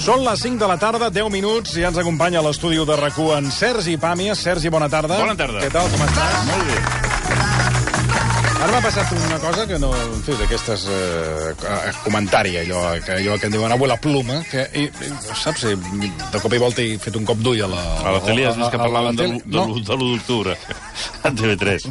Són les 5 de la tarda, 10 minuts, i ja ens acompanya a l'estudi de RAC1 en Sergi Pàmies. Sergi, bona tarda. Bona tarda. Què tal, com estàs? Molt bé. Ara m'ha passat una cosa que no... En fi, d'aquestes... comentari, allò que em diuen avui la pluma, que, saps, de cop i volta he fet un cop d'ull a la... A la tele has vist que parlaven de l'1 d'octubre, a TV3.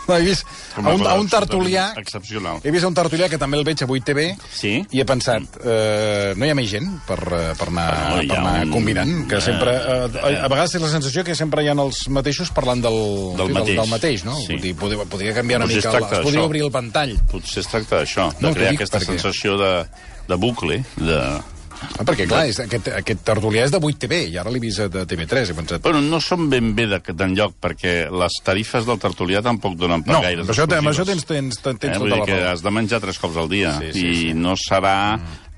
No, he vist a un tertulià... Excepcional. He vist a un tertulià que també el veig a 8TV, sí? I he pensat, no hi ha més gent per anar convidant, que sempre... A vegades té la sensació que sempre hi ha els mateixos parlant del mateix, no? Sí. Podria canviar una mica... Es podria obrir el ventall. Potser es tracta d'això, de crear aquesta sensació de bucle, perquè, clar, aquest tertulià és de 8TV, i ara l'he vist de TV3, he pensat... Bueno, no són ben bé d'enlloc, perquè les tarifes del tertulià tampoc donen per gaires exclusives. Amb això tens tota la raó. Vull dir que has de menjar 3 cops al dia, i no serà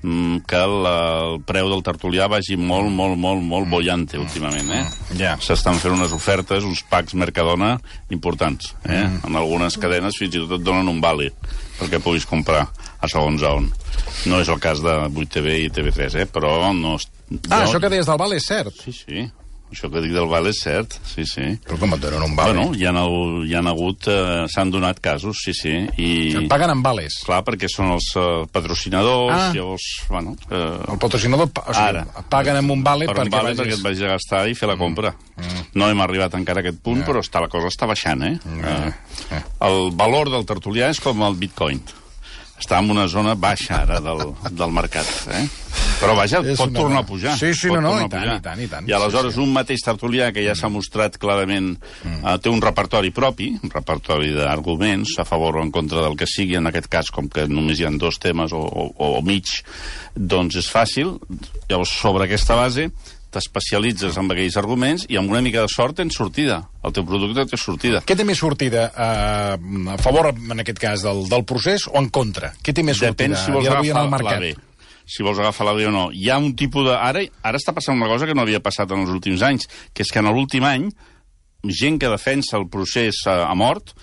que el preu del tertulià vagi molt bollante últimament, Ja. S'estan fent unes ofertes, uns packs Mercadona importants, En algunes cadenes fins i tot et donen un vale perquè puguis comprar a segons on. No és el cas de 8TV i TV3, però no... Això que deies del vale és cert? Sí. Això que dic del vale és cert, sí. Però com et donen un vale? Bueno, hi ha hagut... s'han donat casos, sí. I... Et paguen amb vales? Clar, perquè són els patrocinadors, llavors, bueno... El patrocinador paguen amb un vale perquè et vagis a gastar i fer la compra. No hem arribat encara a aquest punt, però la cosa està baixant, El valor del tertulià és com el bitcoin. Està en una zona baixa ara del mercat, Però vaja, pot tornar a pujar. Sí, i tant. I aleshores un mateix tertulià que ja s'ha mostrat clarament té un repertori propi, un repertori d'arguments a favor o en contra del que sigui, en aquest cas, com que només hi ha 2 temes o mig, doncs és fàcil. Llavors, sobre aquesta base, t'especialitzes en aquells arguments i amb una mica de sort tens sortida. El teu producte té sortida. Què té més sortida? A favor, en aquest cas, del procés o en contra? Què té més sortida? Depèn si vols agafar la B. Si vols agafar la B o no. Hi ha un tipus de... Ara està passant una cosa que no havia passat en els últims anys, que és que en l'últim any, gent que defensa el procés a mort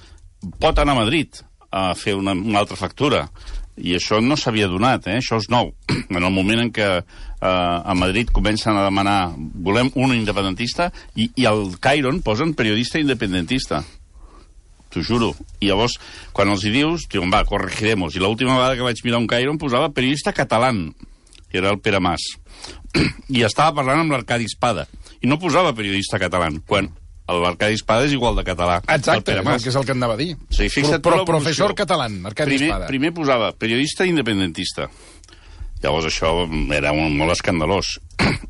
pot anar a Madrid a fer una altra factura. I això no s'havia donat, això és nou. En el moment en què a Madrid comencen a demanar volem un independentista i al Cairon posen periodista independentista. T'ho juro. I llavors, quan els hi dius, diuen, va, corregiremos. I l'última vegada que vaig mirar un Cairon posava periodista català, que era el Pere Mas. I estava parlant amb l'Arcadi Espada. I no posava periodista català, quan l'Arcadi Espada és igual de català. Exacte, que és el que anava a dir. Sí, professor català, Arcadi Espada. Primer posava periodista independentista. Llavors això era molt escandalós.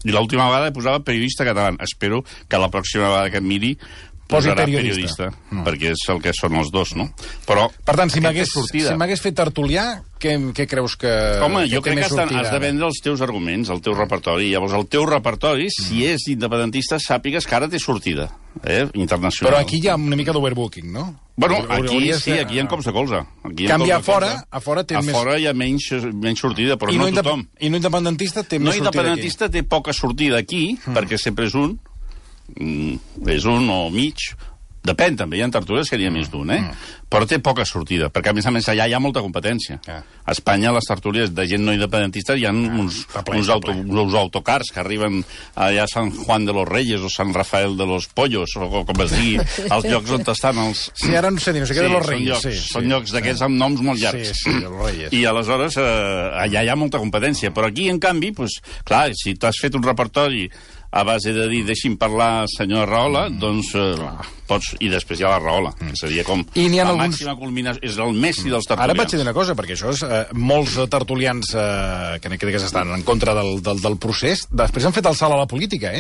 I l'última vegada posava periodista català. Espero que la pròxima vegada que em miri posarà periodista, perquè és el que són els dos, no? Però, per tant, si m'hagués fet tertulià, què creus que... Home, jo crec que has de vendre els teus arguments, el teu repertori. Llavors, el teu repertori, si és independentista, sàpigues que ara té sortida, internacional. Però aquí hi ha una mica d'overbooking, no? Bueno, aquí sí, aquí hi ha cops de colze. Canvia a fora té més... A fora hi ha menys sortida, però no tothom. I no independentista té més sortida aquí. No independentista té poca sortida aquí, perquè sempre és un o mig, depèn també, hi ha tertulies que n'hi ha més d'un, però té poca sortida, perquè a més allà hi ha molta competència. A Espanya les tertulies de gent no independentista hi ha uns autocars que arriben allà a Sant Juan de los Reyes o Sant Rafael de los Pollos, o com es digui, als llocs on estan els... Sí, ara no sé dir, no sé què de los Reyes. Són llocs d'aquests amb noms molt llargs. Sí, de los Reyes. I aleshores allà hi ha molta competència, però aquí, en canvi, clar, si t'has fet un repertori a base de dir, deixi'm parlar, senyor Rahola, doncs pots... I després hi ha la Rahola, que seria com la màxima culminació. És el Messi dels tertulians. Ara vaig dir una cosa, perquè això és... molts tertulians que crec que estan en contra del procés, després han fet el salt a la política,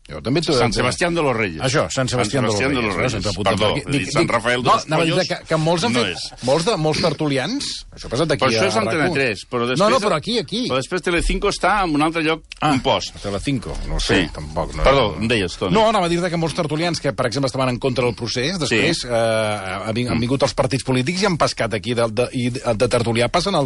Sant Sebastián de los Reyes. Això, Sant Sebastián de los Reyes. Perdó, Sant Rafael de los Pollos. Que molts han fet... Molts tertulians... Això ha passat aquí a RAC1. Però això és Antena 3. No, però aquí. Però després Telecinco està en un altre lloc, un post. Telecinco, no sé, tampoc. Perdó, em deies, Toni. No, anava a dir-te que molts tertulians que, per exemple, estaven en contra del procés, després han vingut els partits polítics i han pescat aquí, i de tertulià passen a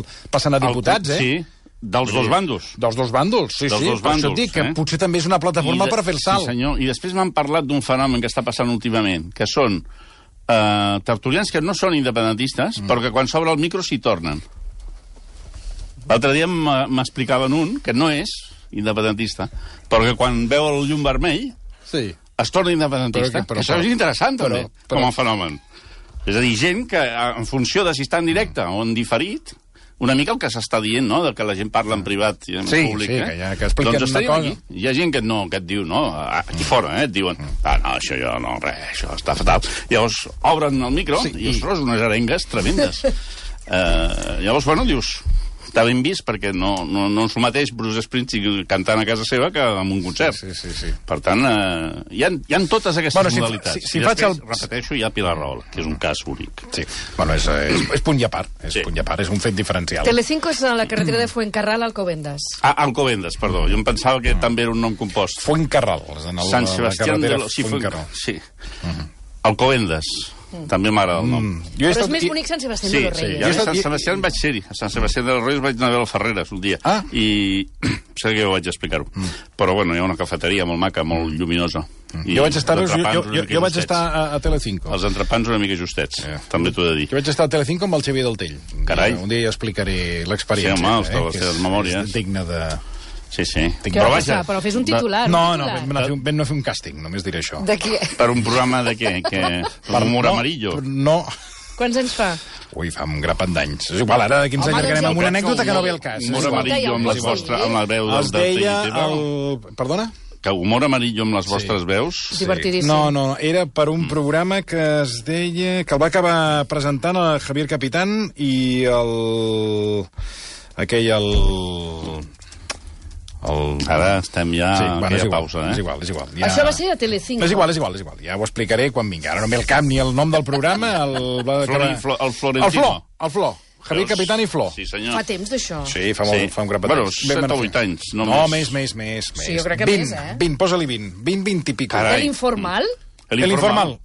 diputats, Sí. Dels dos bàndols. Dels dos bàndols, sí. Per això et dic que potser també és una plataforma per fer el salt. Sí, senyor. I després m'han parlat d'un fenomen que està passant últimament, que són tertulians que no són independentistes, però que quan s'obre el micro s'hi tornen. L'altre dia m'explicaven un que no és independentista, però que quan veu el llum vermell es torna independentista. Això és interessant, també, com a fenomen. És a dir, gent que, en funció de si està en directe o en diferit, una mica el que s'està dient, no?, de que la gent parla en privat i en públic, que expliquen doncs una cosa. Hi ha gent que et diu, no, aquí fora, et diuen, no, això jo no, res, això està fatal. Llavors, obren el micro i, ostres, unes arengues tremendes. Llavors, bueno, dius, està ben vist perquè no és el mateix Bruce Springsteen cantant a casa seva que en un concert. Sí. Per tant, hi ha totes aquestes modalitats. Si I després, repeteixo, hi ha Pilar Rahola, que és un cas únic. Sí, bueno, és punt i a part. És punt i a part, és un fet diferencial. Telecinco és a la carretera de Fuencarral a Alcobendas. Alcobendas, perdó. Jo em pensava que també era un nom compost. Fuencarral. Sant Sebastián de los... Fuencarral. Sí. Alcobendas. També m'agrada el nom. Però és més bonic Sant Sebastián de los Reyes. Sí, a Sant Sebastián vaig ser-hi. A Sant Sebastián de los Reyes vaig anar a veure el Ferreres un dia. I sé que jo vaig explicar-ho. Però, bueno, hi ha una cafeteria molt maca, molt lluminosa. Jo vaig estar a Telecinco. Els entrepans una mica justets, també t'ho he de dir. Jo vaig estar a Telecinco amb el Xavier Deltell. Carai. Un dia explicaré l'experiència. Sí, home, de les teves memòries. És digne de... Sí. Però fes un titular. No, vam fer un càsting, només diré això. De què? Per un programa de què? Per humor amarillo? No. Quants anys fa? Ui, fa un grapat d'anys. És igual, ara d'aquí ens allargarem amb una anècdota que no ve al cas. Humor amarillo amb la veu del Deltell. Perdona? Que humor amarillo amb les vostres veus? Divertidíssim. No, era per un programa que es deia... que el va acabar presentant el Javier Capitán i Ara estem ja a aquella pausa, És igual. Això va ser a Telecinco. És igual. Ja ho explicaré quan vingui. Ara no ve el camp ni el nom del programa. El Florentino. El Flor. Javier Capitán i Flor. Sí, senyor. Fa temps d'això. Sí, fa un grapat d'anys. Bueno, 7 o 8 anys. No, més. Sí, jo crec que més, 20, posa-li 20 i pico. L'informal? L'informal.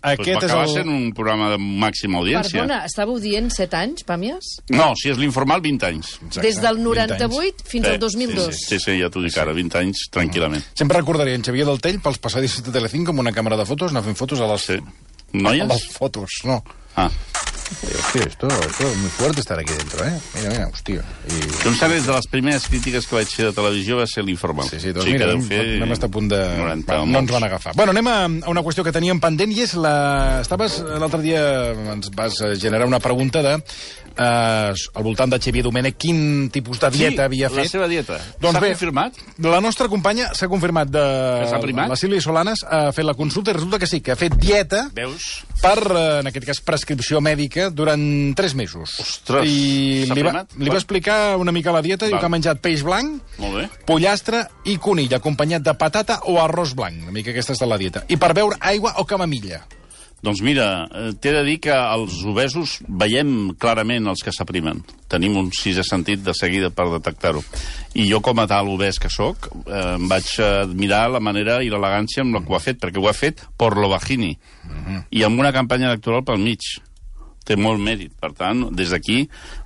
Aquest és sent un programa de màxima audiència. Perdona, estàveu dient 7 anys, Pàmies? No, si és l'informal, 20 anys. Des del 98 fins al 2002. Sí, ja t'ho dic ara, 20 anys, tranquil·lament. Sempre recordaré en Xavier Deltell pels passadissos de Telecinco amb una càmera de fotos, anar fent fotos a les... ¿Noies? A les fotos, no. Hostia, esto es muy fuerte estar aquí dentro, ¿eh? Mira, hostia. Tu em sabes, de les primeres crítiques que vaig fer de televisió va ser l'informal. Sí, doncs mira, anem a estar a punt de... No ens van agafar. Bueno, anem a una qüestió que teníem pendent i és l'altre dia ens vas generar una pregunta de al voltant de Xavier Domènech, quin tipus de dieta havia fet. La seva dieta. Doncs s'ha confirmat? La nostra companya s'ha confirmat la Sílvia Solanas ha fet la consulta i resulta que sí, que ha fet dieta. Veus? Per, en aquest cas, prescripció mèdica durant 3 mesos. Ostres, I li va explicar una mica la dieta, diu que ha menjat peix blanc, pollastre i conill, acompanyat de patata o arròs blanc. Una mica aquesta és de la dieta. I per beure aigua o camamilla. Doncs mira, t'he de dir que els obesos veiem clarament els que s'aprimen. Tenim un sisè sentit de seguida per detectar-ho. I jo, com a tal obès que sóc, em vaig admirar la manera i l'elegància amb la que ho ha fet, perquè ho ha fet por lo bajini. I amb una campanya electoral pel mig. Té molt mèrit. Per tant, des d'aquí,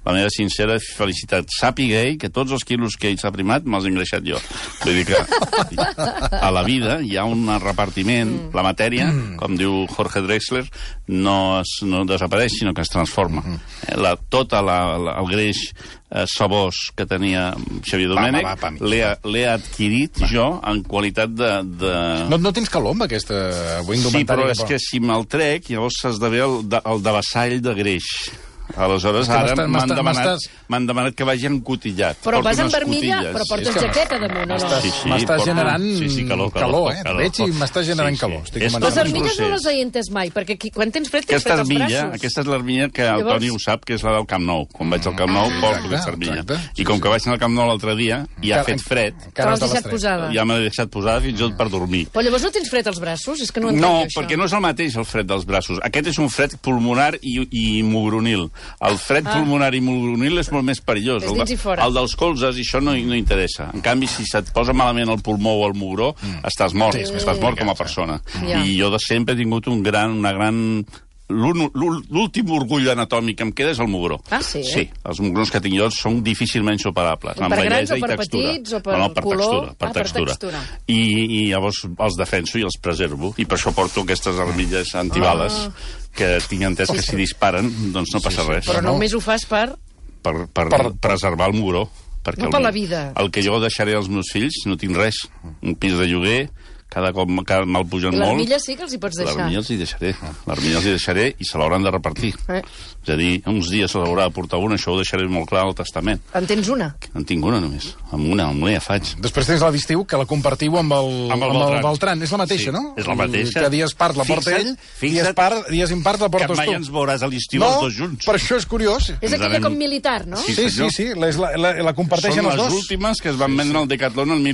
la meva sincera felicitat. Sàpiga ell que tots els quilos que ell s'ha primat me'ls he engreixat jo. Vull dir que a la vida hi ha un repartiment. La matèria, com diu Jorge Drexler, no desapareix, sinó que es transforma. Tot el greix sabós que tenia Xavier Domènech l'he adquirit jo en qualitat de... No tens calor amb aquesta indumentària? Sí, però és que si me'l trec, llavors s'esdevé el devessall de greix. Aleshores, ara m'han demanat que vagi encotillat. Però vas amb armilla, però portes jaqueta damunt, o no? M'estàs generant calor. Veig i m'estàs generant calor. Les armilles no les he entès mai, perquè quan tens fred tens fred als braços. Aquesta és l'armilla que el Toni ho sap, que és la del Camp Nou. Quan vaig al Camp Nou, porto aquesta armilla. I com que vaig anar al Camp Nou l'altre dia i ha fet fred... Te l'has deixat posada. Ja me l'he deixat posada fins i tot per dormir. Però llavors no tens fred als braços? És que no entenc això. No, perquè no és el mateix el fred dels braços. Aquest és un fred pulmonar i mugronil. El fred pulmonar i mugronil és molt més perillós. El dels colzes, i això no interessa. En canvi, si se't posa malament el pulmó o el mugró, estàs mort. Estàs mort com a persona. I jo de sempre he tingut una gran... L'últim orgull anatòmic que em queda és el mugró. Ah, sí? Sí, els mugrons que tinc jo són difícilment superables. Per grans o per petits o per color? Per textura. I llavors els defenso i els preservo. I per això porto aquestes armilles antibales que tinc entès que si disparen doncs no passa res. Però només ho fas per preservar el mugró. perquè no per la vida. El que jo deixaré als meus fills no tinc res. Un pis de lloguer, cada cop me'l pugen molt. L'armilla sí que els hi pots deixar. L'armilla els hi deixaré. L'armilla els hi deixaré i se l'hauran de repartir. És a dir, uns dies se l'haurà de portar una, això ho deixaré molt clar al testament. En tens una? En tinc una només. Amb una ja faig. Després tens la d'estiu, que la compartiu amb el Beltran. És la mateixa, no? És la mateixa. Que dies part la porta ell, dies impart la portes tu. Que mai ens veuràs a l'estiu els dos junts. Per això és curiós. És aquella com militar, no? Sí. La comparteixen els dos. Són les últimes que es van vendre al Decathlon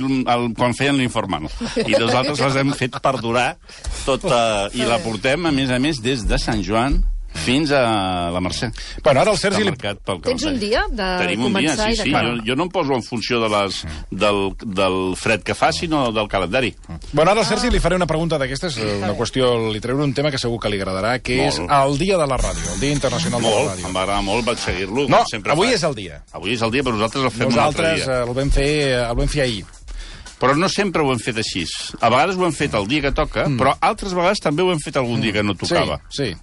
quan feien l'informal. I nosaltres les hem fet perdurar tota... I la portem, a més, des de Sant Joan fins a la Mercè. Bueno, ara el Sergi... Tens un dia de començar i d'acabar? Jo no em poso en funció del fred que fa, sinó del calendari. Bueno, ara al Sergi li faré una pregunta d'aquestes, una qüestió, li trauré un tema que segur que li agradarà, que és el dia de la ràdio, el dia internacional de la ràdio. Em va agradar molt, vaig seguir-lo. No, avui és el dia. Avui és el dia, però nosaltres el fem un altre dia. Nosaltres el vam fer ahir. Però no sempre ho hem fet així. A vegades ho hem fet el dia que toca, però altres vegades també ho hem fet algun dia que no tocava. Sí.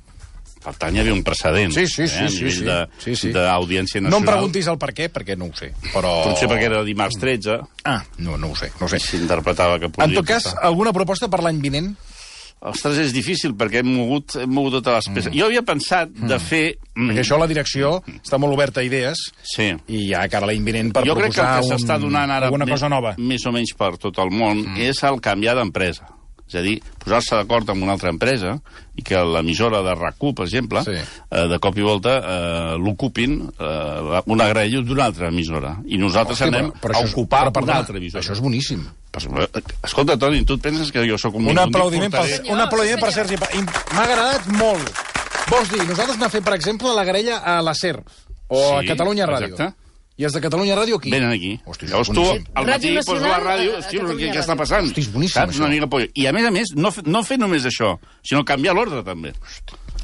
Per tant, hi havia un precedent. Sí. A nivell d'audiència nacional. No em preguntis el per què, perquè no ho sé. Potser perquè era dimarts 13. No ho sé. S'interpretava que podia... En tot cas, alguna proposta per l'any vinent? Ostres, és difícil, perquè hem mogut totes les peces. Jo havia pensat de fer... Perquè això, la direcció, està molt oberta a idees, i ja cara l'any vinent per proposar jo crec que el que s'està donant ara alguna cosa nova. Més o menys per tot el món és el canviar d'empresa. És a dir, posar-se d'acord amb una altra empresa i que l'emissora de RAC1, per exemple, de cop i volta l'ocupin una graella d'una altra emissora. I nosaltres anem a ocupar una altra emissora. Això és boníssim. Escolta, Toni, tu et penses que jo sóc un... Un aplaudiment per Sergi. M'ha agradat molt. Vols dir, nosaltres n'hem fet, per exemple, la graella a la SER o a Catalunya Ràdio. Exacte. I els de Catalunya Ràdio aquí? Venen aquí. Llavors tu al matí poses la ràdio... Què està passant? Hosti, és boníssim, saps? Una mica pollo. I a més, no fer només això, sinó canviar l'ordre, també.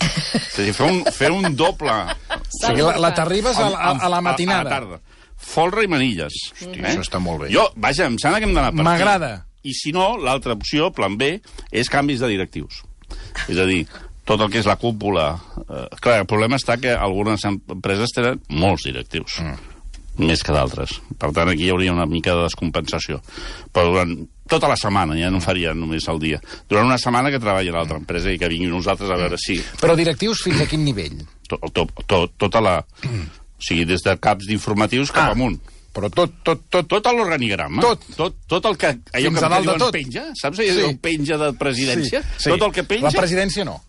És a dir, fer un doble... O sigui, la t'arribes a la matinada. A la tarda. Folre i manilles. Hosti, això està molt bé. Jo, vaja, em sembla que hem d'anar per aquí. M'agrada. I si no, l'altra opció, plan B, és canvis de directius. És a dir, tot el que és la cúpula... Clar, el problema està que algunes empreses tenen molts directius. Més que d'altres. Per tant, aquí hi hauria una mica de descompensació. Però durant tota la setmana, ja no faria només el dia. Durant una setmana que treballi a l'altra empresa i que vinguin nosaltres a veure si... Però directius fins a quin nivell? Tota la... O sigui, des de caps d'informatius cap amunt. Però tot l'organigrama. Tot el que... Allò que diuen penja, saps? Allò penja de presidència. Tot el que penja... La presidència no.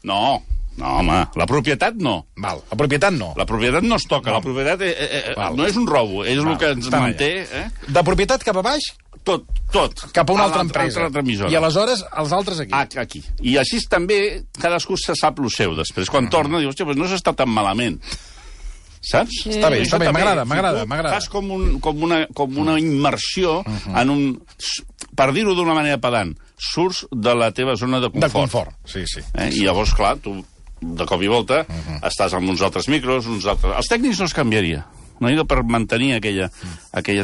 No, home, la propietat no. Val, la propietat no. La propietat no es toca, la propietat no és un robo, és el que ens manté... De propietat cap a baix? Tot. Cap a una altra empresa. I aleshores els altres aquí. Aquí. I així també cadascú se sap lo seu després. Quan torna dius, hòstia, no s'està tan malament. Saps? Està bé, m'agrada. Fas com una immersió en un... Per dir-ho d'una manera pedant, surts de la teva zona de confort. De confort, sí. I llavors, clar, tu de cop i volta estàs amb uns altres micros, Els tècnics no es canviaria. No hi ha per mantenir aquella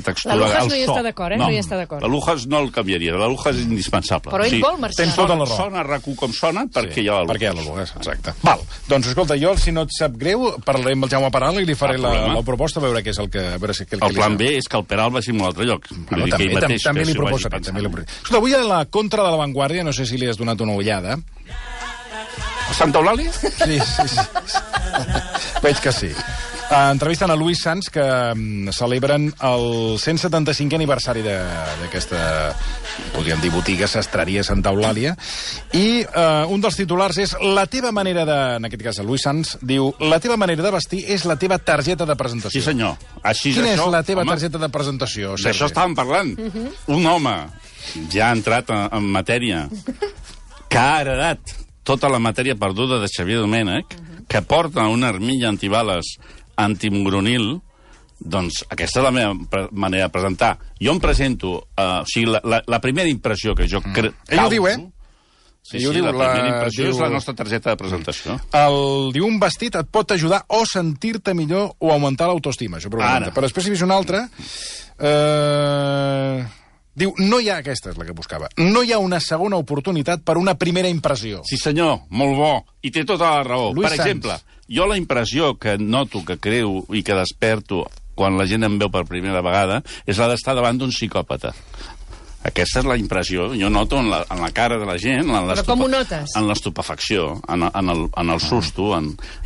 textura. La Lujas no hi està d'acord, No hi està d'acord. La Lujas no el canviaria, la Lujas és indispensable. Però ell vol marxar. Tens tota la raó. Sona RAC1 com sona perquè hi ha la Lujas. Perquè hi ha la Lujas, exacte. Val, doncs escolta, jo, si no et sap greu, parlaré amb el Jaume Peral i li faré la proposta, a veure què és el que... El plan B és que el Peral vagi a un altre lloc. També li proposaré. Escolta, avui a la contra de l'avantguàrdia, no sé si li has donat una ullada. Santa Eulàlia? Sí. Veig que sí. Entrevisten a Lluís Sans, que celebren el 175è aniversari d'aquesta, podríem dir, botiga, sastreria Santa Eulàlia, i un dels titulars és la teva manera de... En aquest cas, el Lluís Sans diu: la teva manera de vestir és la teva targeta de presentació. Sí, senyor. Quina és la teva targeta de presentació, Sergi? D'això estàvem parlant. Un home ja ha entrat en matèria, que ha heredat tota la matèria perduda de Xavier Domènech, que porta una armilla antibales antimugronil, doncs aquesta és la meva manera de presentar. Jo em presento... O sigui, la primera impressió que jo crec... Ell ho diu, Sí, la primera impressió és la nostra targeta de presentació. Diu, un vestit et pot ajudar o sentir-te millor o augmentar l'autoestima. Això però després hi ha una altra... Diu, no hi ha... Aquesta és la que buscava. No hi ha una segona oportunitat per una primera impressió. Sí, senyor, molt bo. I té tota la raó. Lluís per exemple, jo la impressió que noto, que creu i que desperto quan la gent em veu per primera vegada, és la d'estar davant d'un psicòpata. Aquesta és la impressió. Jo noto en la cara de la gent... Però com ho notes? En l'estupefacció, en el susto.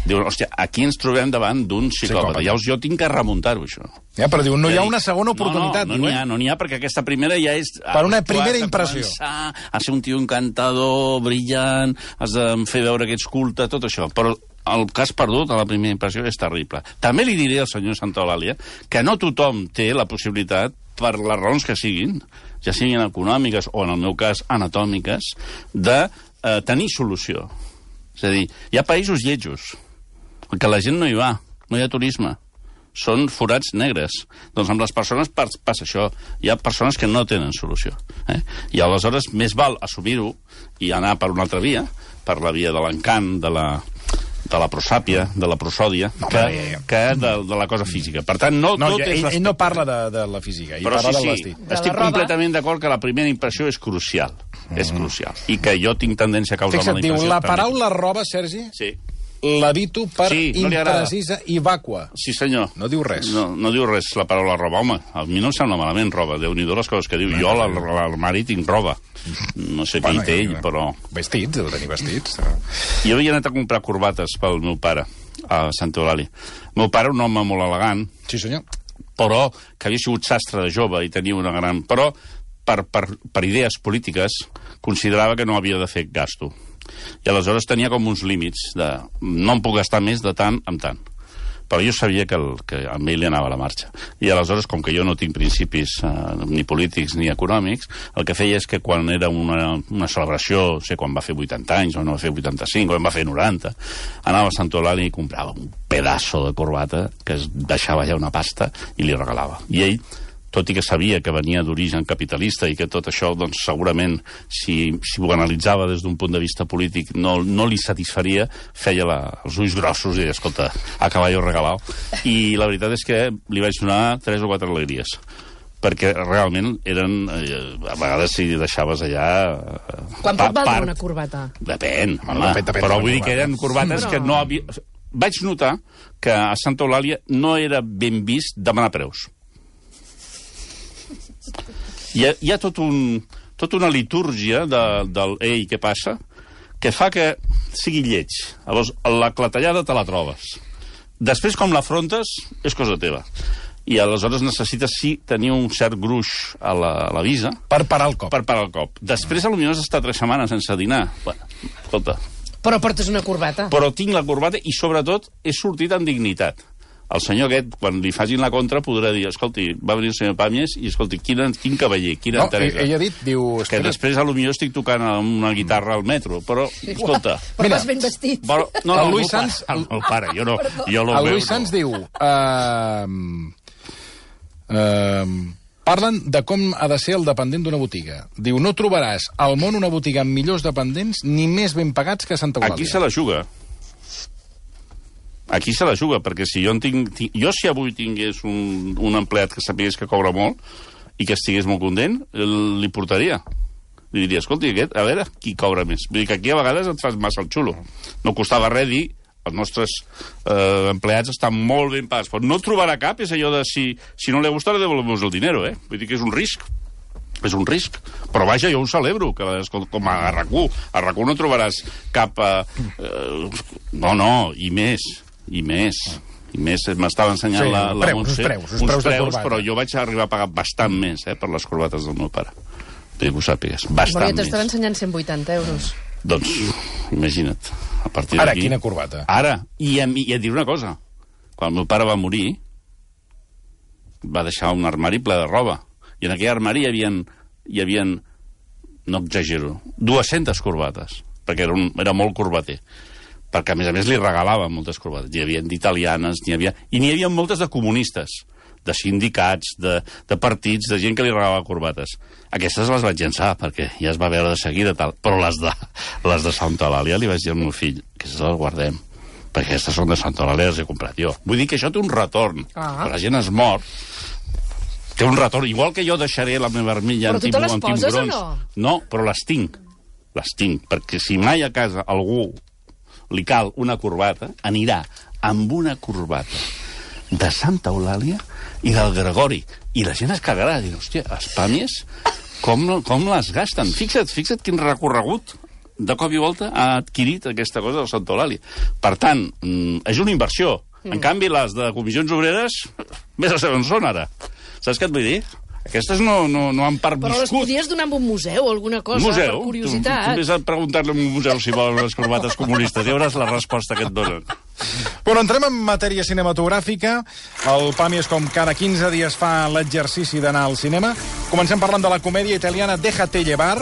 Diuen, hòstia, aquí ens trobem davant d'un psicòpata. Llavors jo tinc que remuntar-ho, això. Ja, però diu, no hi ha una segona oportunitat. No n'hi ha, perquè aquesta primera ja és... Per una primera impressió. Has de ser un tio encantador, brillant, has de fer veure que ets culte, tot això. Però el que has perdut a la primera impressió és terrible. També li diré al senyor Santaolalla que no tothom té la possibilitat, per les raons que siguin, ja siguin econòmiques o, en el meu cas, anatòmiques, de tenir solució. És a dir, hi ha països lletjos, que la gent no hi va, no hi ha turisme. Són forats negres. Doncs amb les persones passa això. Hi ha persones que no tenen solució. I aleshores més val assumir-ho i anar per una altra via, per la via de l'encant, de la prosàpia, de la prosòdia, que de la cosa física. Per tant, ell no parla de la física, ell parla del vestit. Estic completament d'acord que la primera impressió és crucial. És crucial. I que jo tinc tendència a causar mala impressió. Fixa't, diu, la paraula roba, Sergi, sí, l'evito per imprecisa i vàcua. Sí, senyor. No diu res. No diu res la paraula roba. Home, a mi no em sembla malament roba. Déu-n'hi-do les coses que diu. Jo a l'armari tinc roba. No sé què hi té ell, però... Vestits, heu de tenir vestits. Jo havia anat a comprar corbates pel meu pare, a Santa Eulàlia. El meu pare, un home molt elegant... Sí, senyor. Però que havia sigut sastre de jove i tenia una gran... Però, per idees polítiques, considerava que no havia de fer gasto. I aleshores tenia com uns límits de no em puc gastar més de tant en tant. Però jo sabia que amb ell li anava a la marxa. I aleshores, com que jo no tinc principis ni polítics ni econòmics, el que feia és que quan era una celebració, no sé, quan va fer 80 anys, o no va fer 85, o en va fer 90, anava a Santa Eulàlia i comprava un pedaço de corbata que es deixava ja una pasta i li regalava. I ell, tot i que sabia que venia d'origen capitalista i que tot això, doncs, segurament, si ho analitzava des d'un punt de vista polític, no li satisfaria, feia els ulls grossos i deia, escolta, a caballo regalao. I la veritat és que li vaig donar 3 o 4 alegries, perquè realment eren... a vegades si deixaves allà... Quan pot valdre una corbata? Depèn, home, però vull dir que eren corbates que no havia... Vaig notar que a Santa Eulàlia no era ben vist demanar preus. Hi ha tota una litúrgia del ei, què passa, que fa que sigui lleig. Llavors, la clatellada te la trobes. Després, com l'afrontes, és cosa teva. I aleshores necessites, sí, tenir un cert gruix a la visa. Per parar el cop. Per parar el cop. Després, potser has estat 3 setmanes sense dinar. Bueno, escolta. Però portes una corbata. Però tinc la corbata i, sobretot, he sortit amb dignitat. El senyor aquest, quan li facin la contra, podrà dir, escolti, va venir el senyor Pàmies i, escolti, quin cavaller, quina enteresa. Ell ha dit, diu... Que després, potser estic tocant una guitarra al metro, però, escolta... Però vas ben vestit. El Lluís Sans... El pare, jo no ho veu. El Lluís Sans diu... Parlen de com ha de ser el dependent d'una botiga. Diu, no trobaràs al món una botiga amb millors dependents ni més ben pagats que a Santa Eulàlia. Aquí se la juga. Aquí se la juga, perquè si jo si avui tingués un empleat que sapigués que cobra molt i que estigués molt content, li portaria. Li diria, escolti, a veure qui cobra més. Vull dir que aquí a vegades et fas massa el xulo. No costava res dir, els nostres empleats estan molt ben pagats, però no trobarà cap, és allò de si no li gusta, le devolvemos el dinero, eh? Vull dir que és un risc. És un risc. Però vaja, jo ho celebro, que com a RAC1. A RAC1 no trobaràs cap... No, i més. M'estava ensenyant la Montse uns preus, però jo vaig arribar a pagar bastant més per les corbates del meu pare. Que ho sàpigues, bastant més. Però jo t'estava ensenyant 180 euros. Doncs, imagina't. A partir ara, d'aquí... quina corbata? Ara, i et diré una cosa. Quan el meu pare va morir, va deixar un armari ple de roba. I en aquell armari hi havia no exagero, 200 corbates, perquè era molt corbater. Perquè, a més, li regalaven moltes corbates. N'hi havia d'italianes, i n'hi havia moltes de comunistes, de sindicats, de partits, de gent que li regalava corbates. Aquestes les vaig llançar, perquè ja es va veure de seguida, tal. Però les de Santa Eulàlia li vaig dir al meu fill, aquestes les guardem, perquè aquestes són de Santa Eulàlia, les he comprat jo. Vull dir que això té un retorn. Quan la gent es mor, té un retorn. Igual que jo deixaré la meva armilla amb tiburons. Però tu te les poses o no? No, però les tinc. Les tinc, perquè si mai a casa algú li cal una corbata, anirà amb una corbata de Santa Eulàlia i del Gregori. I la gent es cagarà, dir, hòstia, els pàmies, com les gasten? Fixa't quin recorregut de cop i volta ha adquirit aquesta cosa del Santa Eulàlia. Per tant, és una inversió. En canvi, les de comissions obreres, més a saber on són ara. Saps què et vull dir? Aquestes no han perviscut. Però les podies donar en un museu o alguna cosa, per curiositat. Tu vés a preguntar-li a un museu si volen les corbates comunistes. Ja veuràs la resposta que et donen. Bueno, entrem en matèria cinematogràfica. El PAMI és com cada 15 dies fa l'exercici d'anar al cinema. Comencem parlant de la comèdia italiana Déjate llevar,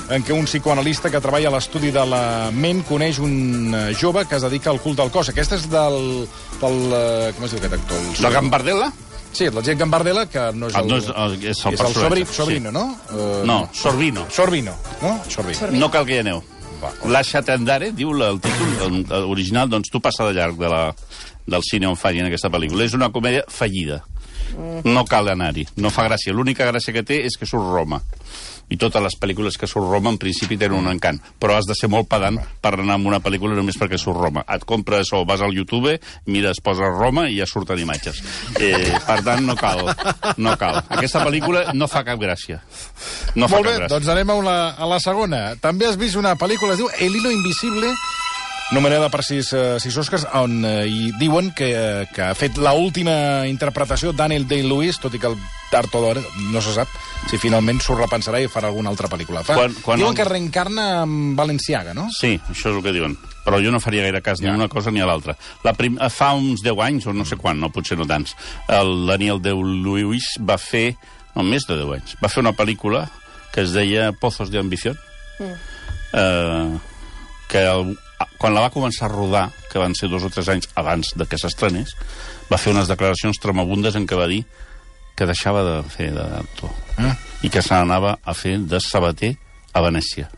en què un psicoanalista que treballa a l'estudi de la ment coneix un jove que es dedica al culte del cos. Aquesta és del com es diu aquest actor? La Gambardella? Sí, la gent Gambardella, que no és el... és el personatge. Sobrino, sí. No? No, Sorbino. Sorbino, no? Sorbino. No cal que hi aneu. Lasciate andare, diu el títol original, doncs tu passa de llarg del cine on facin aquesta pel·lícula. És una comèdia fallida. No cal anar-hi, no fa gràcia. L'única gràcia que té és que surt Roma. I totes les pel·lícules que surt Roma en principi tenen un encant, però has de ser molt pedant per anar a una pel·lícula només perquè surt Roma. Et compres o vas al YouTube, mires, poses Roma i ja surten imatges. Per tant, no cal. Aquesta pel·lícula no fa cap gràcia. No fa molt bé, cap gràcia. Doncs anem a la segona. També has vist una pel·lícula, es diu El hilo invisible, nomenada per 6 Oscars, on hi diuen que ha fet l'última interpretació Daniel Day-Lewis, tot i que el tard o d'hora no se sap si finalment s'ho repensarà i farà alguna altra pel·lícula. Diuen que reencarna amb Balenciaga, no? Sí, això és el que diuen. Però jo no faria gaire cas ni a una cosa ni a l'altra. Fa uns 10 anys, o no sé quan, no, potser no tants, el Daniel Day-Lewis va fer, no, més de 10 anys, va fer una pel·lícula que es deia Pozos de Ambición, que quan la va començar a rodar, que van ser 2 o 3 anys abans de que s'estrenés, va fer unes declaracions tremabundes en què va dir que deixava de fer d'actor i que se n'anava a fer de sabater a Venècia.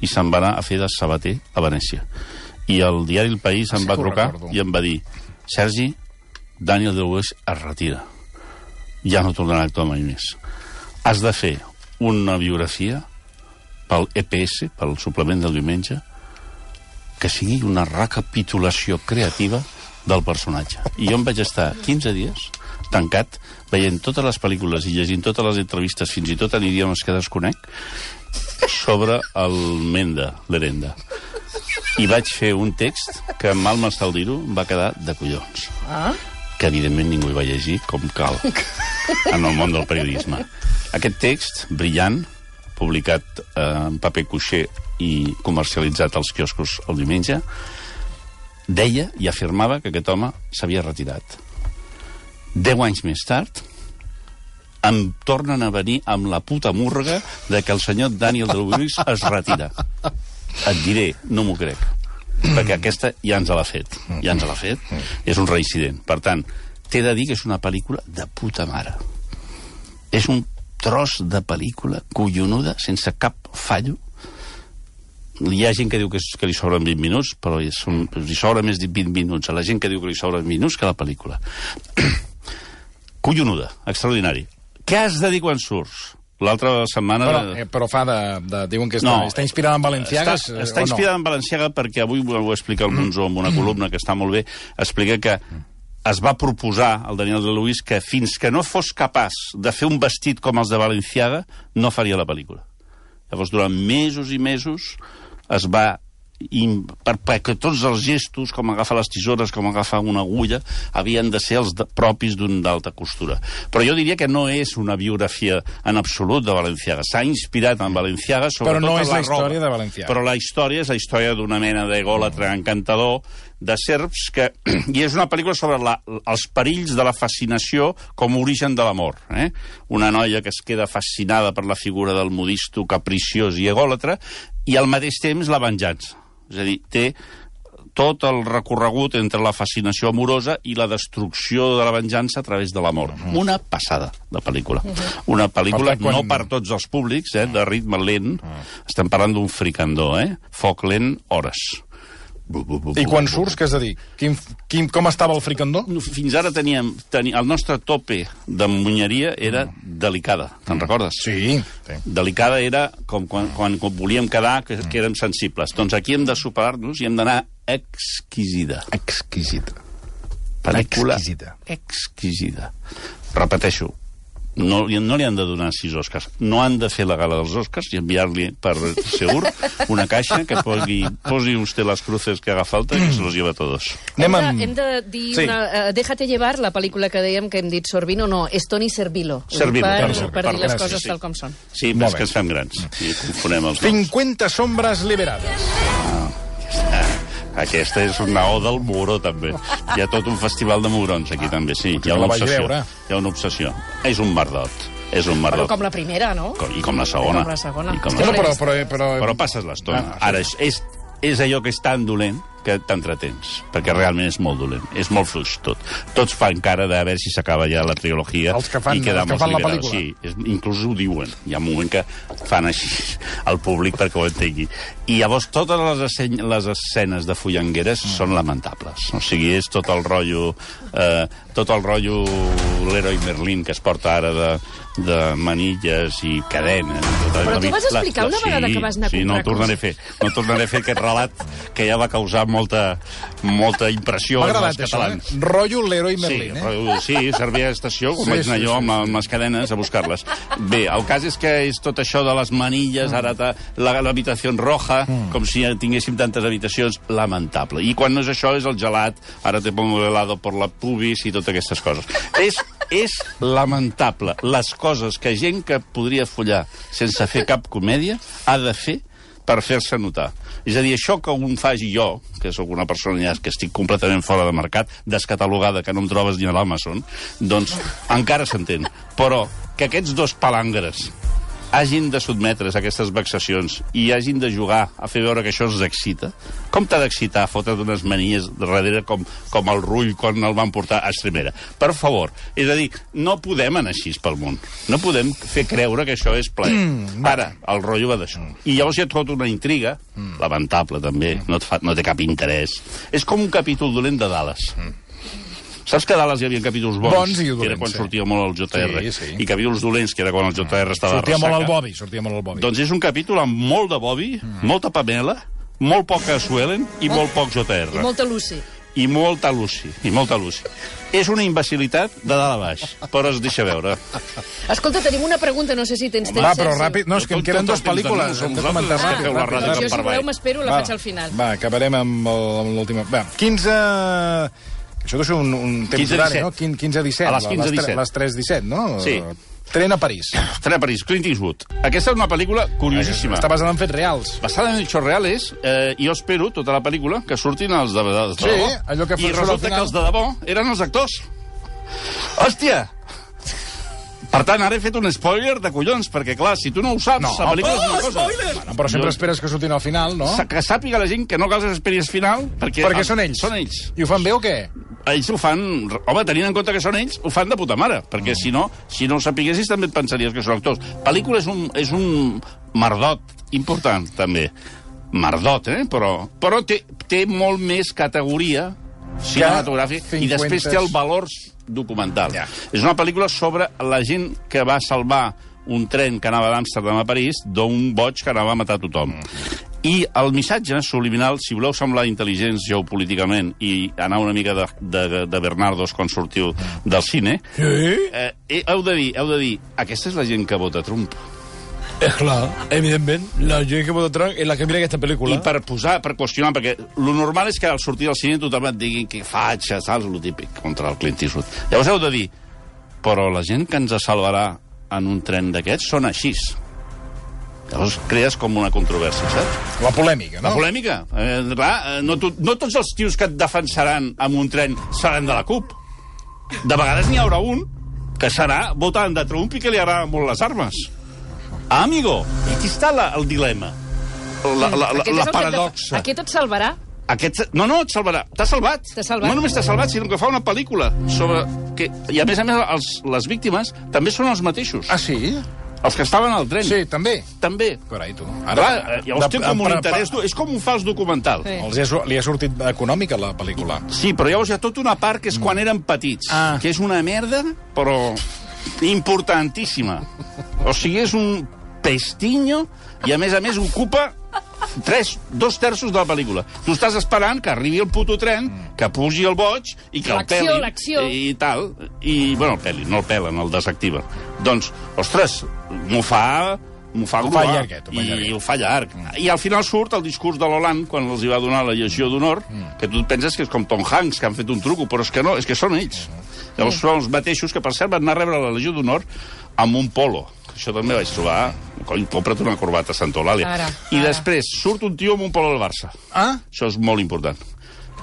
I se'n va anar a fer de sabater a Venècia. I el diari El País em va trucar i em va dir: Sergi, Daniel Day-Lewis es retira. Ja no tornarà a actuar mai més. Has de fer una biografia pel EPS, pel suplement del diumenge, que sigui una recapitulació creativa del personatge. I jo em vaig estar 15 dies tancat, veient totes les pel·lícules i llegint totes les entrevistes, fins i tot en idiomes que desconec, sobre el Menda, l'Herenda. I vaig fer un text que, mal m'està dir-ho, va quedar de collons. Que, evidentment, ningú hi va llegir com cal en el món del periodisme. Aquest text, brillant, publicat en paper cuixé i comercialitzat als quioscos el diumenge, deia i afirmava que aquest home s'havia retirat. 10 anys més tard, em tornen a venir amb la puta múrga de que el senyor Daniel Day-Lewis es retira. Et diré, no m'ho crec, perquè aquesta ja ens l'ha fet. Ja ens l'ha fet. És un reincident. Per tant, t'he de dir que és una pel·lícula de puta mare. És un tros de pel·lícula collonuda, sense cap fallo. Hi ha gent que diu que li sobren 20 minuts, però li sobra més de 20 minuts a la gent que diu que li sobren minuts que a la pel·lícula. Collonuda, extraordinari. Què has de dir quan surts? L'altra setmana... Però fa diuen que està inspirada en Balenciaga, està inspirada en Balenciaga perquè avui ho explica el Monzó en una columna que està molt bé. Explica que es va proposar al Daniel Day-Lewis que fins que no fos capaç de fer un vestit com els de Balenciaga, no faria la pel·lícula. Llavors, durant mesos i mesos es va... perquè tots els gestos, com agafar les tisores, com agafar una agulla, havien de ser els propis d'un d'alta costura. Però jo diria que no és una biografia en absolut de Balenciaga. S'ha inspirat en Balenciaga, sobretot però no és la història de Balenciaga. Però la història és la història d'una mena d'egòlatra encantador de serps que... I és una pel·lícula sobre els perills de la fascinació com a origen de l'amor. Una noia que es queda fascinada per la figura del modisto capriciós i egòlatra i al mateix temps la venjança. És a dir, té tot el recorregut entre la fascinació amorosa i la destrucció de la venjança a través de l'amor. Una passada de pel·lícula. Una pel·lícula no per tots els públics, de ritme lent. Estem parlant d'un fricandó, foc lent, hores. I quan surts, què has de dir? Com estava el fricandó? Fins ara teníem... El nostre tope de munyeria era delicada. Te'n recordes? Sí. Delicada era com quan volíem quedar, que érem sensibles. Doncs aquí hem de superar-nos i hem d'anar exquisida. Exquisida. Pel·lícula exquisita. Exquisida. Repeteixo, no li han de donar 6 Oscars. No han de fer la gala dels Oscars i enviar-li per Seur una caixa que posi usted les cruces que haga falta i que se los lleva a todos. Hem de dir Déjate llevar, la pel·lícula que dèiem que hem dit Sorvino, no, és Toni Servilo. Servilo. Per dir les coses tal com són. Sí, però és que ens fem grans i confonem els 50 sombres liberades. Aquesta és una oda al mugró, també. Hi ha tot un festival de mugrons, aquí, també, sí. Hi ha una obsessió. Hi ha una obsessió. És un merdot. És un merdot. Però com la primera, no? I com la segona. Però passes l'estona. Ara, és allò que és tan dolent que t'entretens, perquè realment és molt dolent. És molt fluix, tot. Tots fan cara de veure si s'acaba ja la trilogia. Els que fan la pel·lícula. Sí, inclús ho diuen. Hi ha un moment que fan així al públic perquè ho entengui. I llavors totes les escenes de fullangueres són lamentables. O sigui, és tot el rotllo l'heroi Merlin que es porta ara de manilles i cadenes. Però tu vas explicar una vegada que vas anar a comprar no tornaré a fer aquest relat que ja va causar molta impressió als catalans. Rotllo l'heroi Merlin, Sí, servia d'estació, com vaig anar jo amb les cadenes a buscar-les. Bé, el cas és que és tot això de les manilles, ara l'habitació roja, com si tinguéssim tantes habitacions, lamentable. I quan no és això, és el gelat, ara te pongo helado por la pubis i totes aquestes coses. És lamentable les coses que gent que podria follar sense fer cap comèdia ha de fer per fer-se notar. És a dir, això que un faci jo, que sóc una persona ja que estic completament fora de mercat, descatalogada, que no em trobes ni a l'Amazon, doncs encara s'entén. Però que aquests dos palangres hagin de sotmetre's a aquestes vexacions i hagin de jugar a fer veure que això els excita, com t'ha d'excitar fotre't unes manies darrere com el Rull quan el van portar a Estremera? Per favor. És a dir, no podem anar així pel món. No podem fer creure que això és plaer. Ara, el rotllo va d'això. I llavors hi ha tota una intriga, lamentable també, no té cap interès. És com un capítol dolent de Dallas. Saps que a Dallas hi havia capítols bons i dolents, que era quan sortia molt el JR, i capítols dolents, que era quan el JR estava sortia molt al Bobby. Doncs és un capítol amb molt de Bobby, molta Pamela, molt poca Suelen i molt poc JR. I molta Lucy. I molta Lucy. És una imbecilitat de dalt a baix, però es deixa veure. Escolta, tenim una pregunta, no sé si tens temps. Va, però ràpid. No, és que em queden 2 pel·lícules. Hem de comentar ràpid. Jo, si voleu, m'espero, la faig al final. Va, acabarem amb l'última. Va, 15... Això deu ser un temps horari, no? 15-17. A les 15-17. Les 3-17, no? Sí. Tren a París. Clint Eastwood. Aquesta és una pel·lícula curiosíssima. Està basada en fets reals. Basada en fets reals, jo espero, tota la pel·lícula, que surtin els de debò. Sí, allò que i resulta que els de debò eren els actors. Hòstia! Per tant, ara he fet un spoiler de collons, perquè, clar, si tu no ho saps, la pel·lícula és una cosa. Bueno, però sempre esperes que surtin al final, no? Que sàpiga la gent que no cal que esperis al final, perquè són ells. Són ells. I ho fan bé o què? Ells ho fan... Home, tenint en compte que són ells, ho fan de puta mare, perquè si no ho sapiguessis també et pensaries que són actors. Pel·lícula és un merdot important, també. Merdot, però té molt més categoria cinematogràfica i després té el valor documental. És una pel·lícula sobre la gent que va salvar un tren que anava d'Amsterdam a París d'un boig que anava a matar tothom. I el missatge subliminal, si voleu semblar intel·ligents geopolíticament i anar una mica de Bernardos quan sortiu del cine, heu de dir, aquesta és la gent que vota Trump. És clar, evidentment, la gent que vota Trump és la que mira aquesta pel·lícula. I per qüestionar, perquè lo normal és que al sortir del cine tothom et digui que fatxa, saps, lo típic, contra el Clint Eastwood. Llavors heu de dir, però la gent que ens salvarà en un tren d'aquests són així. Llavors crees com una controvèrsia, saps? La polèmica, no? La polèmica. Clar, no tots els tios que et defensaran amb un tren seran de la CUP. De vegades n'hi haurà un que serà votant de Trump i que li agraden molt les armes. Ah, amigo, i aquí està el dilema, la paradoxa. Aquest et salvarà? No, et salvarà. T'ha salvat. No només t'ha salvat, sinó que fa una pel·lícula sobre... I a més, les víctimes també són els mateixos. Ah, sí? Els que estaven al tren. Sí, també. També. Carai, tu. Llavors té com un interès... És com un fals documental. Li ha sortit econòmica, la pel·lícula. Sí, però llavors hi ha tota una part que és quan eren petits, que és una merda, però importantíssima. O sigui, és un pestinyo i, a més, ocupa 2 terços de la pel·lícula. Tu estàs esperant que arribi el puto tren, que pugi el boig i que el pelin. L'acció. I tal. I, bueno, el pelin, no el pelen, el desactiven. Doncs, ostres, m'ho fa gruar. I ho fa llarg. I al final surt el discurs de l'Hollande, quan els hi va donar la Legió d'Honor, que tu penses que és com Tom Hanks, que han fet un truco, però és que no, és que són ells. Llavors són els mateixos que, per cert, van anar a rebre la Legió d'Honor amb un polo. Això també vaig trobar... Cony, compra't una corbata a Santa Eulàlia. I després surt un tio amb un polo del Barça. Això és molt important.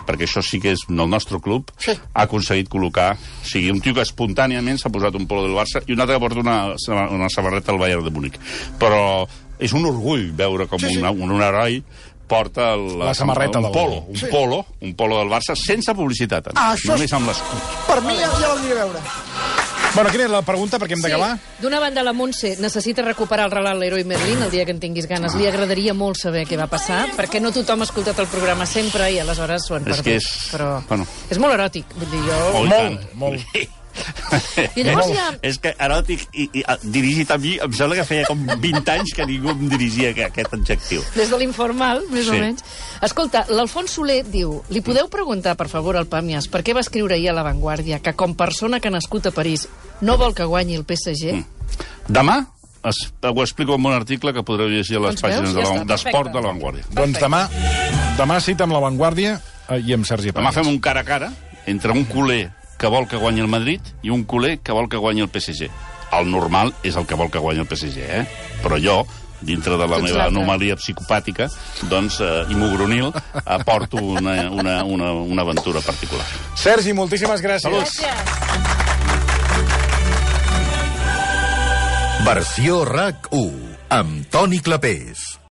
Perquè això sí que és el nostre club, ha aconseguit col·locar... O sigui, un tio que espontàniament s'ha posat un polo del Barça i un altre que porta una samarreta del Bayern de Múnich. Però és un orgull veure com un heroi porta la samarreta un polo del Barça sense publicitat, només amb l'escut. Per mi ja l'aniré a veure. Bueno, quina és la pregunta, perquè hem d'acabar? D'una banda, la Montse necessita recuperar el relat Leroy Merlin el dia que en tinguis ganes. Li agradaria molt saber què va passar, perquè no tothom ha escoltat el programa sempre i aleshores s'ho han perdut. Però és molt eròtic. Vull dir, Molt. I llavors ja... És que eròtic i dirigit a mi, em sembla que feia com 20 anys que ningú em dirigia aquest adjectiu. Des de l'informal, més o menys. Escolta, l'Alfons Soler diu: li podeu preguntar, per favor, al Pàmies, per què va escriure ahir a La Vanguardia que, com persona que ha nascut a París, no vol que guanyi el PSG? Demà ho explico en un article que podreu llegir a les pàgines d'Esport de La Vanguardia. Doncs demà cita amb La Vanguardia i amb Sergi Pàmies. Demà fem un cara a cara entre un culer que vol que guanyi el Madrid i un culer que vol que guanyi el PSG. El normal és el que vol que guanyi el PSG, Però jo, dintre de la meva anomalia psicopàtica, doncs, i mogronil, aporto una aventura particular. Sergi, moltíssimes gràcies. Saluts. Versió RAC 1, amb Toni Clapés.